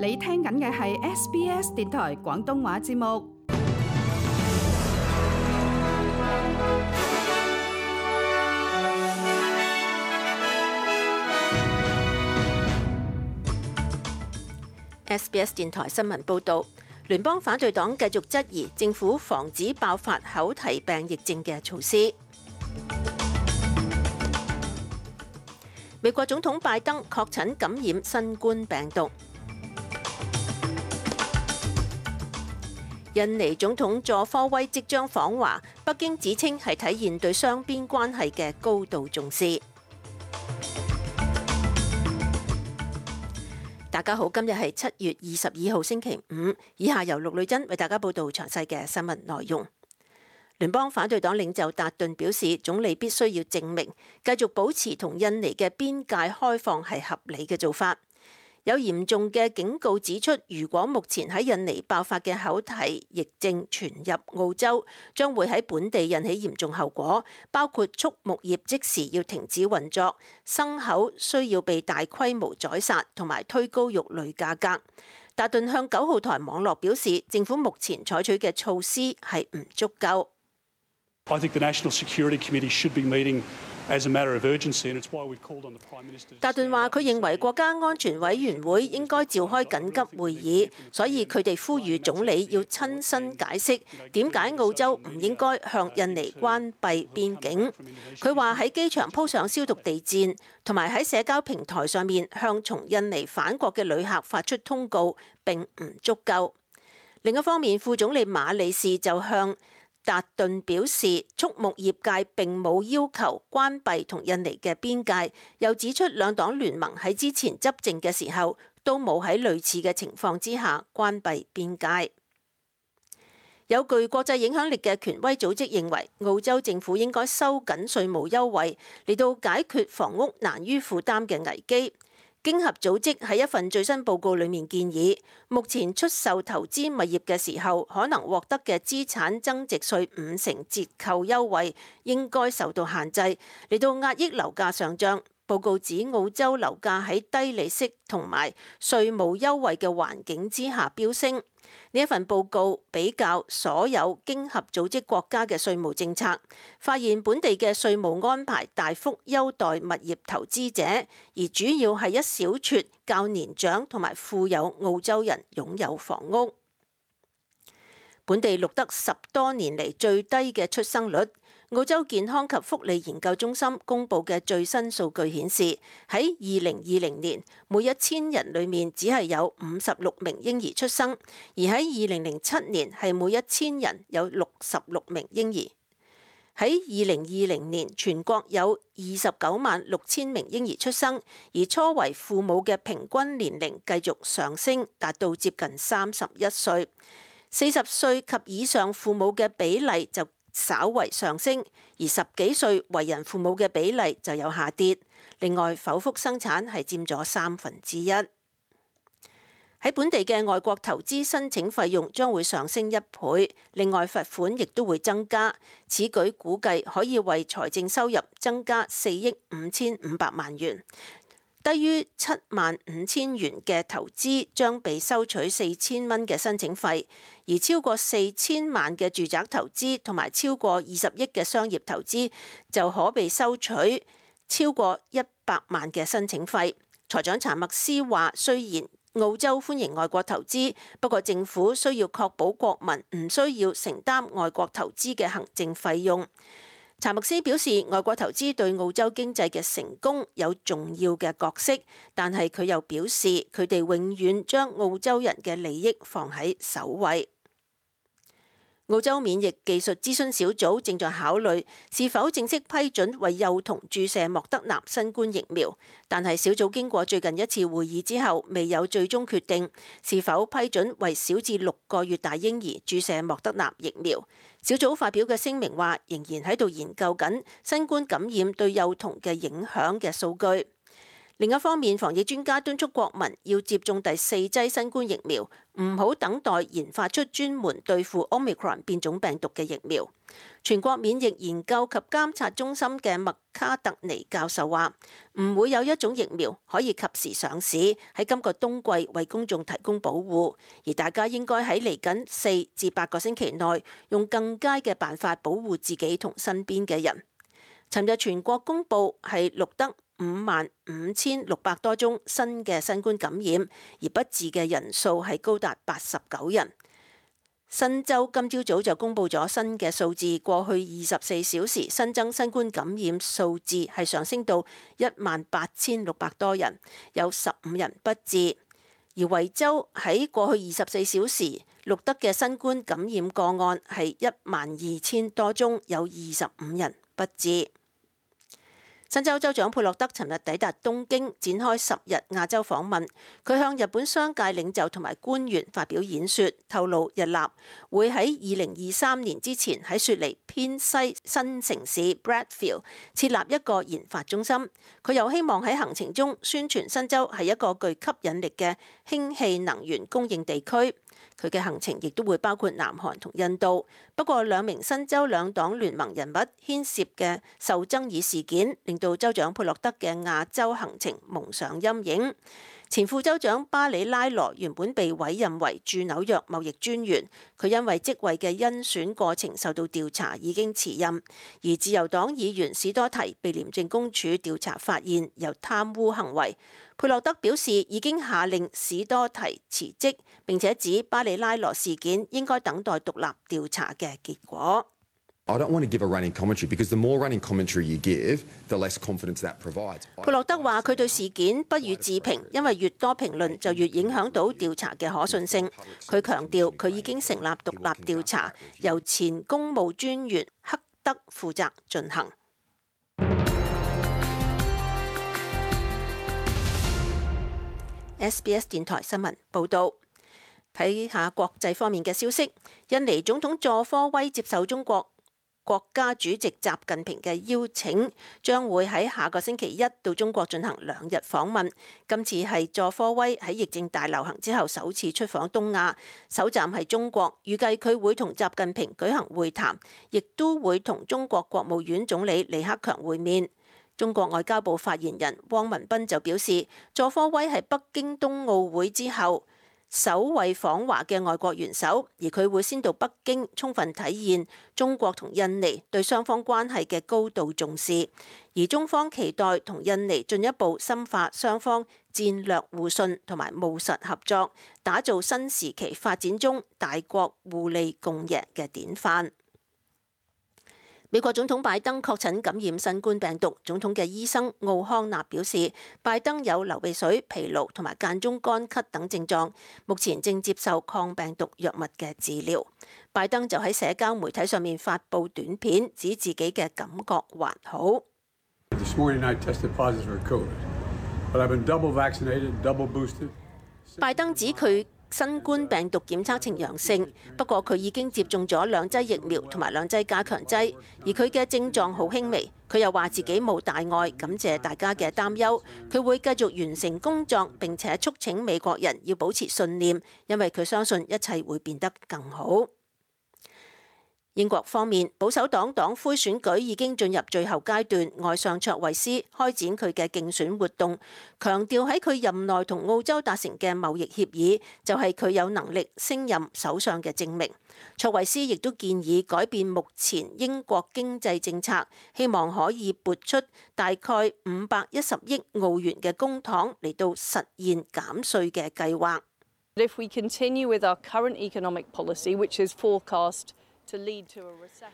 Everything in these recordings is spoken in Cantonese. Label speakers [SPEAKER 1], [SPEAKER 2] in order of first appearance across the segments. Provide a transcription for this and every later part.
[SPEAKER 1] 你聽緊嘅係 SBS 電台廣東話節目。
[SPEAKER 2] SBS 電台新聞報導，聯邦反對黨繼續質疑政府防止爆發口蹄病疫症嘅措施。美國總統拜登確診感染新冠病毒。印尼總統佐科威即將訪華，北京指稱係體現對雙邊關係嘅高度重視。大家好，今日係7月22號星期五，以下由陸女珍為大家報道詳細嘅新聞內容。聯邦反對黨領袖達頓表示，總理必須要證明繼續保持同印尼嘅邊界開放係合理嘅做法。有嚴重嘅警告指出，如果目前喺印尼爆發嘅口蹄疫症傳入澳洲，將會喺本地引起嚴重後果，包括畜牧業即時要停止運作，牲口需要被大規模宰殺，同埋推高肉類價格。達頓向9號台網絡表示，政府目前採取嘅措施係唔足夠。
[SPEAKER 3] I think the National Security Committee should be meeting as a matter of urgency, and it's why we've called on the Prime Minister.
[SPEAKER 2] 達頓話：佢認為國家安全委員會應該召開緊急會議，所以佢哋呼籲總理要親身解釋點解澳洲唔應該向印尼關閉邊境。佢話喺機場鋪上消毒地氈，同埋喺社交平台上面向從印尼返國嘅旅客發出通告並唔足夠。另一方面，副總理馬里士就向達頓表示，畜牧業界並冇要求關閉同印尼嘅邊界，又指出兩黨聯盟喺之前執政嘅時候都冇喺類似嘅情況之下關閉邊界。有具國際影響力嘅權威組織認為，澳洲政府應該收緊稅務優惠，嚟到解決房屋難於負擔嘅危機。經合組織喺一份最新報告裏面建議，目前出售投資物業嘅時候可能獲得嘅資產增值稅50%折扣優惠應該受到限制，嚟到壓抑樓價上漲。報告指澳洲樓價喺低利息同埋稅務優惠嘅環境之下飆升。呢一份報告比較所有經合組織國家嘅稅務政策，發現本地嘅稅務安排大幅優待物業投資者，而主要係一小撮較年長同埋富有澳洲人擁有房屋。本地錄得10多年嚟最低嘅出生率。澳洲健康及福利研究中心公佈嘅最新數據顯示，喺2020年，每1000人裏面只係有56名嬰兒出生，而喺2007年係每1000人有66名嬰兒。喺2020年，全國有296000名嬰兒出生，而初為父母嘅平均年齡繼續上升，達到接近31歲。40歲及以上父母嘅比例就稍為上升，而10幾歲為人父母嘅比例就有下跌。另外，剖腹生產係佔咗1/3。喺本地嘅外國投資申請費用將會上升1倍，另外罰款亦都會增加。此舉估計可以為財政收入增加4億5500萬元。低於75000元嘅投資將被收取4000蚊嘅申請費，而超過4000萬嘅住宅投資同埋超過20億嘅商業投資就可被收取超過100萬嘅申請費。財長查默斯話：雖然澳洲歡迎外國投資，不過政府需要確保國民唔需要承擔外國投資嘅行政費用。查默斯表示，外國投資對澳洲經濟嘅成功有重要嘅角色，但係佢又表示，佢哋永遠將澳洲人嘅利益放喺首位。澳洲免疫技術諮詢小組正在考慮是否正式批准為幼童注射莫德納新冠疫苗，但係小組經過最近一次會議之後，未有最終決定是否批准為小至6個月大嬰兒注射莫德納疫苗。小組發表嘅聲明話，仍然喺度研究緊新冠感染對幼童嘅影響嘅數據。另一方面，防疫專家敦促國民要接種第4劑新冠疫苗，唔好等待研發出專門對付 Omicron 變種病毒嘅疫苗。全國免疫研究及監察中心嘅麥卡特尼教授話：唔會有一種疫苗可以及時上市，喺今個冬季為公眾提供保護，而大家應該喺嚟緊4至8個星期內，用更佳嘅辦法保護自己同身邊嘅人。尋日全國公佈係錄得55,600多宗新嘅新冠感染，而不治嘅人數係高達89人。新州今朝早就公佈咗新嘅數字，過去24小時新增新冠感染數字係上升到18,600多人，有15人不治。而維州喺過去24小時錄得嘅新冠感染個案係12,000多宗，有25人不治。新州州長佩洛德尋日抵達東京，展開10日亞洲訪問。佢向日本商界領袖同埋官員發表演說，透露日立會喺2023年之前喺雪梨偏西新城市 Bradfield 設立一個研發中心。佢又希望喺行程中宣傳新州係一個具吸引力嘅氫氣能源供應地區。佢嘅行程亦都會包括南韓同印度。不過2名新州兩黨聯盟人物牽涉嘅受爭議事件，令到州長佩洛德嘅亞洲行程蒙上陰影。前副州長巴里拉羅原本被委任為駐紐約貿易專員，佢因為職位嘅甄選過程受到調查，已經辭任。而自由黨議員史多提被廉政公署調查發現有貪污行為。佩洛德表示已經下令史多提辭職，並且指巴里拉羅事件應該等待獨立調查嘅結果。
[SPEAKER 4] I don't want to give a running commentary because the more running commentary you give, the less confidence that provides.
[SPEAKER 2] 佩洛德話：佢對事件不予置評，因為越多評論就越影響到調查嘅可信性。佢強調佢已經成立獨立調查，由前公務專員克德負責進行。SBS 電台新聞報導，睇下國際方面嘅消息。印尼總統佐科威接受中國國家主席習近平嘅邀請，將會喺下個星期一到中國進行2日訪問。今次係佐科威喺疫症大流行之後首次出訪東亞，首站係中國，預計佢會同習近平舉行會談，亦都會同中國國務院總理李克強會面。中國外交部發言人汪文斌就表示，佐科威係北京冬奧會之後首位訪華嘅外國元首，而佢會先到北京，充分體現中國同印尼對雙方關係嘅高度重視。而中方期待同印尼進一步深化雙方戰略互信同埋務實合作，打造新時期發展中大國互利共贏嘅典範。美國總統拜登確診感染新冠病毒，總統嘅醫生奧康納表示，拜登有流鼻水、疲勞同埋間中乾咳等症狀，目前正接受抗病毒藥物嘅治療。拜登就喺社交媒體上面發布短片，指自己嘅感覺還好。拜登指佢新冠病毒檢測呈陽性，不過佢已經接種咗2劑疫苗同埋2劑加強劑，而佢嘅症狀好輕微。佢又話自己冇大礙，感謝大家嘅擔憂。佢會繼續完成工作，並且促請美國人要保持信念，因為佢相信一切會變得更好。英國方面，保守黨黨魁選舉已經進入最後階段，外相卓慧思開展佢嘅競選活動，強調喺佢任內同澳洲達成嘅貿易協議就係佢有能力升任首相嘅證明。卓慧思亦都建議改變目前英國經濟政策，希望可以撥出大概510億澳元嘅公帑嚟到實現減稅嘅計劃。
[SPEAKER 5] If we continue with our current economic policy, which is forecast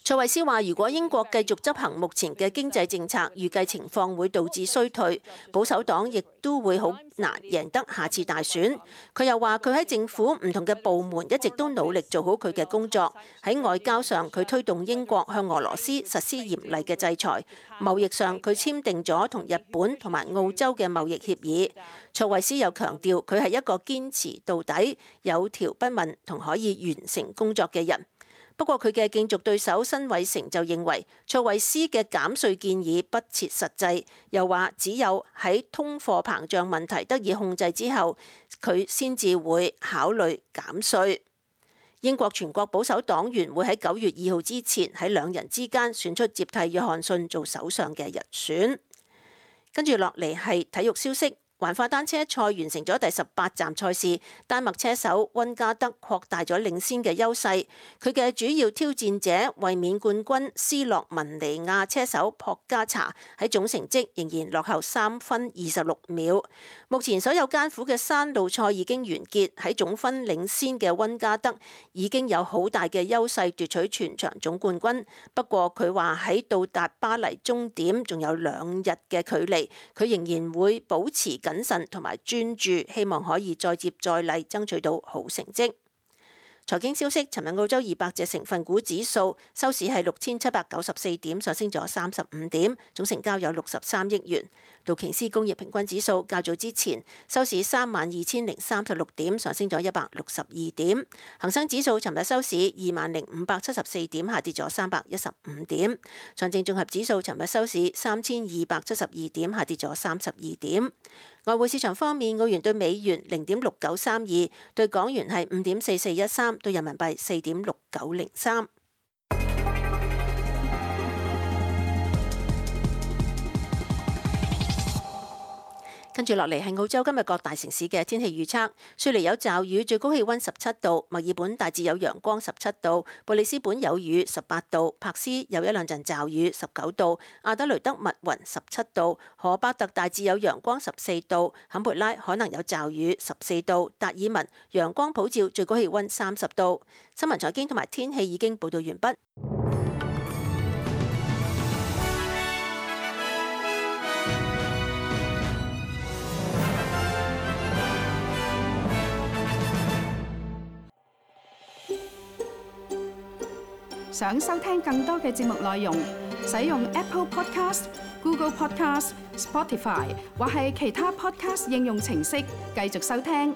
[SPEAKER 2] 卓慧思話：如果英國繼續執行目前嘅經濟政策，預計情況會導致衰退，保守黨亦都會好難贏得下次大選。佢又話：佢喺政府唔同嘅部門一直都努力做好佢嘅工作。喺外交上，佢推動英國向俄羅斯實施嚴厲嘅制裁；貿易上，佢簽訂咗同日本同埋澳洲嘅貿易協議。卓慧思又強調，佢係一個堅持到底、有條不紊同可以完成工作嘅人。不過佢嘅競逐對手辛偉誠就認為卓慧思嘅減稅建議不切實際，又話只有喺通貨膨脹問題得以控制之後，佢先至會考慮減稅。英國全國保守黨員會喺9月2號之前喺兩人之間選出接替約翰遜做首相嘅人選。跟住落嚟係體育消息。環法單車賽完成咗第18站賽事，丹麥車手溫加德擴大咗領先嘅優勢。佢嘅主要挑戰者衛冕冠軍斯洛文尼亞車手博加查喺總成績仍然落後3分26秒。目前所有艱苦嘅山路賽已經完結，喺總分領先嘅溫加德已經有好大嘅優勢奪取全場總冠軍。不過佢話喺到達巴黎終點仲有2日嘅距離，佢仍然會保持謹慎同埋專注，希望可以再接再厲，爭取到好成績。財經消息，尋日澳洲200隻成分股指數收市係6794點，上升咗35點，總成交有63億元。道瓊斯工業平均指數較早之前收市32036點，上升咗162點。恒生指數尋日收市20574點，下跌咗315點。上證綜合指數尋日收市3272點，下跌咗32點。外匯市場方面，澳元對美元0.6932，對港元係5.4413，對人民幣4.6903。跟住落嚟係澳洲今日各大城市嘅天氣預測。雪梨有驟雨，最高氣溫17度；墨爾本大致有陽光17度；布里斯本有雨18度；柏斯有一兩陣驟雨19度；阿德雷德密雲17度；荷巴特大致有陽光14度；坎培拉可能有驟雨14度；達爾文陽光普照，最高氣溫30度。新聞財經同埋天氣已經報道完畢。
[SPEAKER 1] 想收聽更多嘅節目內容，使用 Apple Podcast、Google Podcast、Spotify 或係其他 Podcast 應用程式繼續收聽。